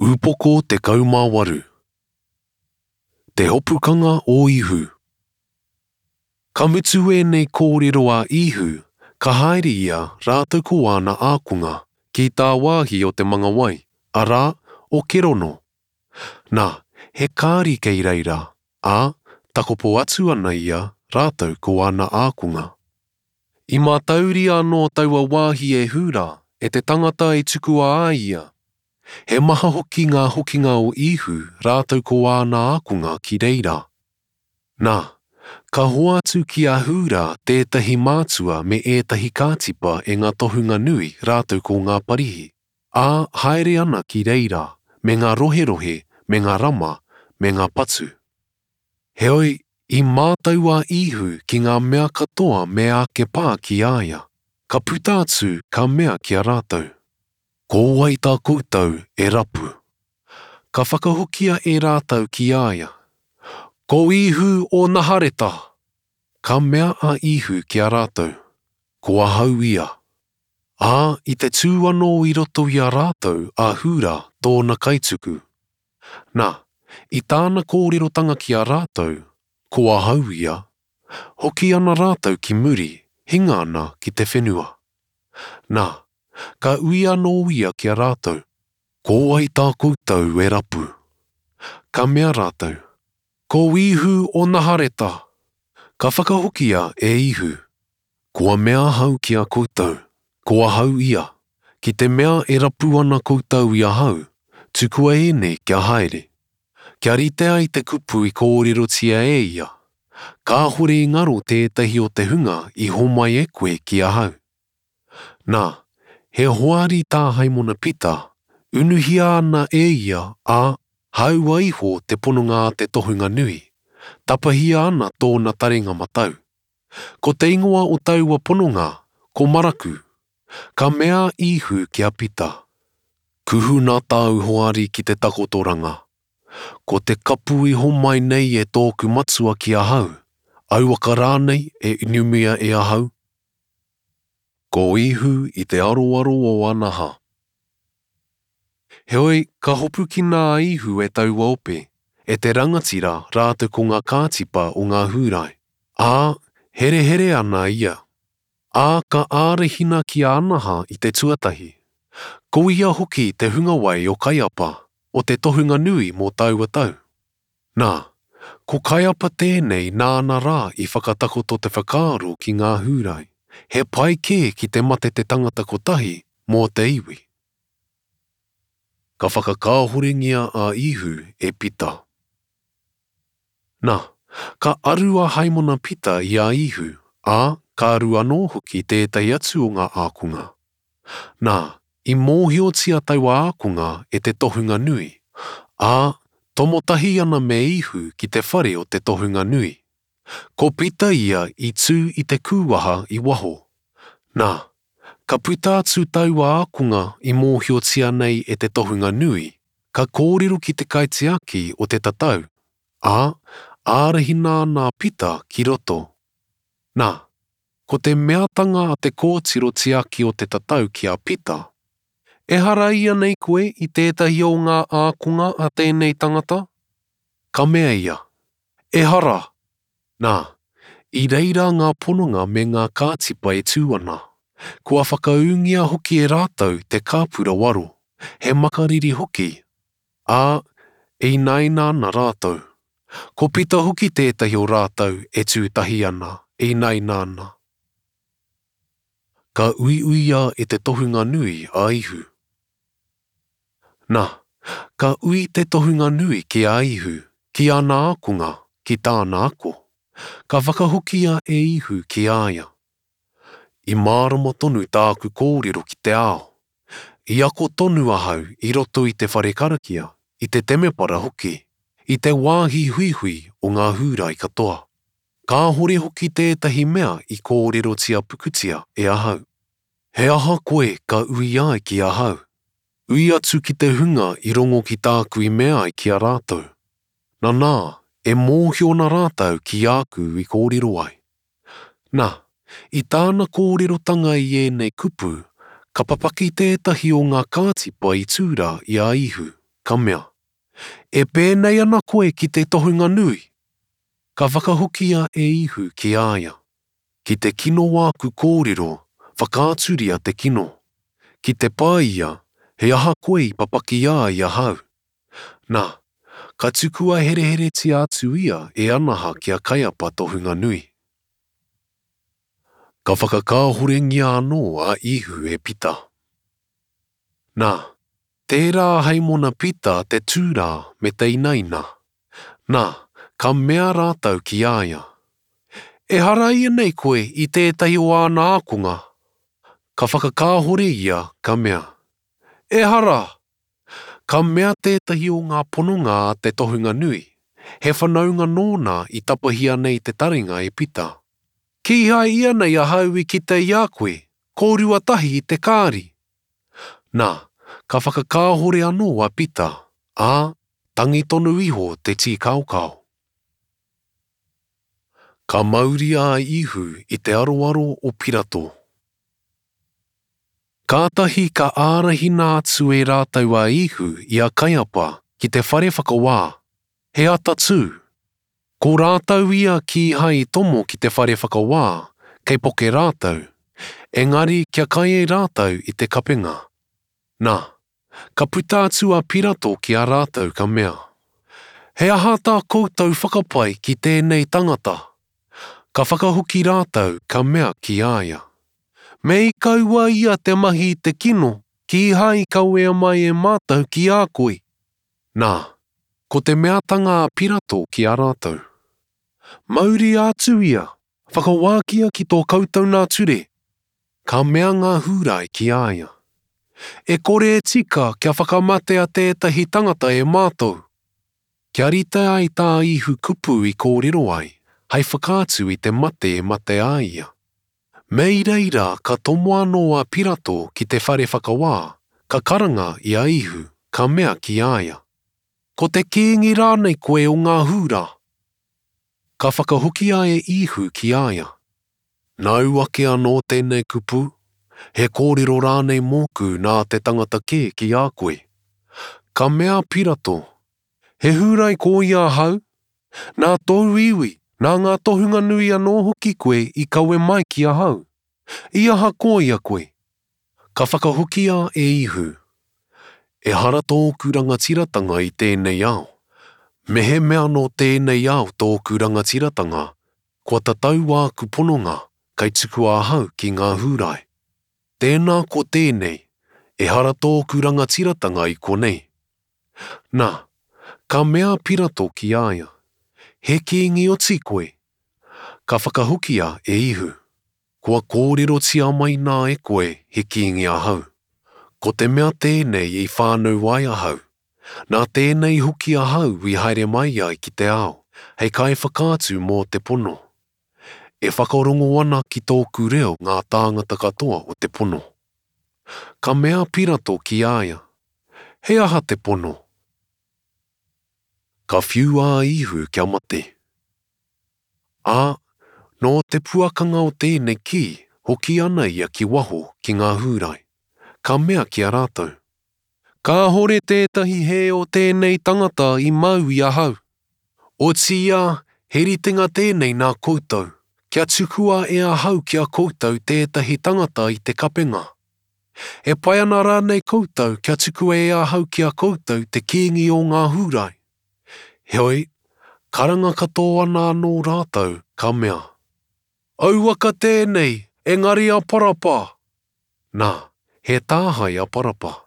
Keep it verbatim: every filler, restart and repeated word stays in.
Upoko tekau mā waru. Te hopukanga o Ihu. Ka mutu ēnei kōrero a Ihu, ka haere ia rātou ko āna ākonga ki tāwāhi o te manga wai, arā, o Kerono. Nā, he kāri kei reira, ā, takopo atu ana ia rātou ko āna ākonga. I mātauria anō taua wāhi e Hūrā, e te tangata i tukua ai ia. He maha hoki ngā hokinga o Ihu rātou ko āna ākonga ki reira. Nā, ka hoatu ki a Hūrā tētahi mātua me ētahi kātipa e ngā tohunga nui rātou ko ngā Parihi, ā, haere ana ki reira, me ngā roherohe, me ngā rama, me ngā patu. Heoi, i mātau a Ihu ki ngā mea katoa me ake pā ki a ia. Ka puta atu ka mea ki a rātou, Ko wai tā koutou e rapu? Ka whakahokia e rātou ki a ia, Ko Ihu o Nahareta! Ka mea a Ihu ki a rātou, Ko ahau ia. Ā, i te tū anō i roto i a rātou a Hūrā tōna kaituku. Nā, i tāna kōrerotanga ki a rātou, Ko ahau ia, hoki ana rātou ki muri, hinga ana ki te whenua. Nā, ka ui anō ia ki a rātou, Ko wai tā koutou e rapu? Ka mea rātou, Ko Ihu o Nahareta! Ka whakahokia e Ihu, Kua mea ahau ki a koutou, ko ahau ia, ki te mea e rapu ana koutou i ahau, tukua ēnei kia haere. Kia rite ai te kupu i kōrerotia e ia, kāhore i ngaro tētahi o te hunga i homai e koe ki ahau. Nā, he hoari tā Haimona Pita, unuhia ana e ia, ā, hāua iho te pononga a te tohunga nui, tapahia ana tōna taringa matau. Ko te ingoa o taua pononga, ko Maraku. Ka mea a Ihu ki a Pita, Kuhuna tāu hoari ki te takotoranga. Ko te kapu i homai nei e tōku matua ki ahau, auaka rānei e inumia e ahau? Ko Ihu i te aroaro o Anaha. Heoi, ka hopukina a Ihu e taua ope, e te rangatira rātou ko ngā kātipa o ngā Hūrai, ā, herehere ana ia. Ā, ka ārahina ki a Anaha i te tuatahi. Ko ia hoki te hungawai o Kaiapa, o te tohunga nui mō taua tau. Nā, ko Kaiapa tēnei nāna rā i whakatakoto te whakaaro ki ngā Hūrai, he pai kē ki te mate te tangata kotahi mō te iwi. Ka whakakāhorengia a Ihu e Pita. Nā, ka aru a Haimona Pita i a Ihu, ā, ka aru anō hoki tētahi atu o ngā ākonga. Nā, i mōhiotia taua ākonga e te tohunga nui, ā, tomo tahi ana me Ihu ki te whare o te tohunga nui. Ko Pita ia i tū i te kūwaha i waho. Nā, ka puta atu taua ākonga i mōhiotia nei e te tohunga nui, ka kōrero ki te kaitiaki o te tatau, ā, ārahina ana a Pita ki roto. Nā, ko te meatanga a te kōtiro tiaki o te tatau ki a Pita, Ehara ia nei koe i tētahi o ngā ākonga a tēnei tangata? Ka mea ia, Ehara! Nā, i reira ngā pononga me ngā kātipa e tū ana, kua whakaūngia hoki e rātou te kāpura waro, he makariri hoki, ā, e inaina ana rātou. Ko Pita hoki tētahi o rātou e tū tahi ana, e inaina ana. Ka uiuia e te tohunga nui a Ihu. Nā, ka ui te tohunga nui ki a Ihu, ki ana ākonga, ki tāna ako. Ka whakahokia e Ihu ki a ia. I mārama tonu tāku kōrero ki te ao. I ako tonu ahau i roto i te whare karakia, i te temepara hoki, i te wāhi huihui o ngā Hūrai katoa. Kāhore hoki tētahi mea i kōrerotia pukutia e ahau. He aha koe ka ui ai ki ahau? Ui atu ki te hunga i rongo ki tāku i mea ai ki a rātou. Nanā, e mōhio ana rātou ki āku i kōrero ai. Nā, i tāna kōrerotanga i ēnei kupu, ka papaki tētahi o ngā kātipa i tū rā i a Ihu, ka mea, E pēnei ana koe ki te tohunga nui? Ka whakahokia e Ihu ki a ia, Ki te kino āku kōrero, whakaaturia te kino. Ki te pai ia, he aha koe i papaki ai ahau? Nā, ka tukua hereheretia atu ia e Anaha ki a Kaiapa tohunga nui. Ka whakakāhorengia anō a Ihu e Pita. Nā, tērā a Haimona Pita te tūrā me te inaina. Nā, ka mea rātou ki a ia, Ehara ianei koe i tētahi o āna ākonga? Ka whakakāhore ia, ka mea, Ehara! Ka mea tētahi o ngā pononga a te tohunga nui, he whanaunga nōna i tapahia nei te taringa e Pita, Kīhai ianei ahau i kite i a koe, kōrua tahi i te kāri? Nā, ka whakakāhore anō a Pita, ā, tangi tonu iho te tīkaokao. Ka mauria a Ihu i te aroaro o Pirato. Kātahi ka ārahina atu e rātou a Ihu i a Kaiapa ki te whare whakawā, he atatū. Ko rātou ia kīhai i tomo ki te whare whakawā, kei poke rātou, engari kia kai e rātou i te kapenga. Nā, ka puta atu a Pirato ki a rātou ka mea, He aha tā koutou whakapae ki tēnei tangata? Ka whakahoki rātou ka mea ki a ia, Me i kaua ia te mahi i te kino, kīhai i kawea mai e mātou ki a koe. Nā, ko te meatanga a Pirato ki a rātou, Mauria atu ia, whakawākia ki tō koutou nā ture. Ka mea ngā Hūrai ki a ia, E kore e tika kia whakamatea tētahi tangata e mātou. Kia rite ai tā Ihu kupu i kōrero ai, hei whakaatu i te mate e mate ai ia. Me i reira ka tomo anō a Pirato ki te whare whakawā, ka karanga i a Ihu, ka mea ki a ia, Ko te kīngi rānei koe o ngā Hūrā? Ka whakahokia e Ihu ki a ia, Nāu ake anō tēnei kupu, he kōrero rānei mōku nā te tangata kē ki a koe? Ka mea a Pirato, He Hūrai koia ahau? Nā tōu iwi, nā ngā tohunga nui anō hoki koe i kawe mai ki ahau. I aha koia koe? Ka whakahokia e Ihu, Ehara tōku rangatiratanga i tēnei ao. Mehemea nō tēnei ao tōku rangatiratanga, kua tatau āku pononga kei tukua ahau ki ngā Hūrai. Tēnā ko tēnei, ehara tōku rangatiratanga i konei. Nā, ka mea a Pirato ki a ia, He kīngi oti koe? Ka whakahokia e Ihu, Kua kōrerotia mai nā e koe he kīngi ahau. Ko te mea tēnei i whānau ai ahau, nā tēnei hoki ahau i haere mai ai ki te ao, hei kaiwhakaatu mō te pono. E whakarongo ana ki tōku reo ngā tāngata katoa o te pono. Ka mea a Pirato ki a ia, He aha te pono? Ka whiua a Ihu kia mate. Ā, nō te puakanga o tēnei kī, hoki ana ia ki waho ki ngā Hūrai. Ka mea ki a rātou, Kāhore tētahi hē o tēnei tangata i mau i ahau. Otiia, he ritenga tēnei nā koutou, kia tukua e ahau ki a koutou tētahi tangata i te kapenga. E pai ana rānei koutou kia tukua e ahau ki a koutou te kīngi o ngā Hūrai? Heoi, karanga katoa ana anō rātou, ka mea, Auaka tēnei, engari a Parapa! Nā, he tāhae a Parapa.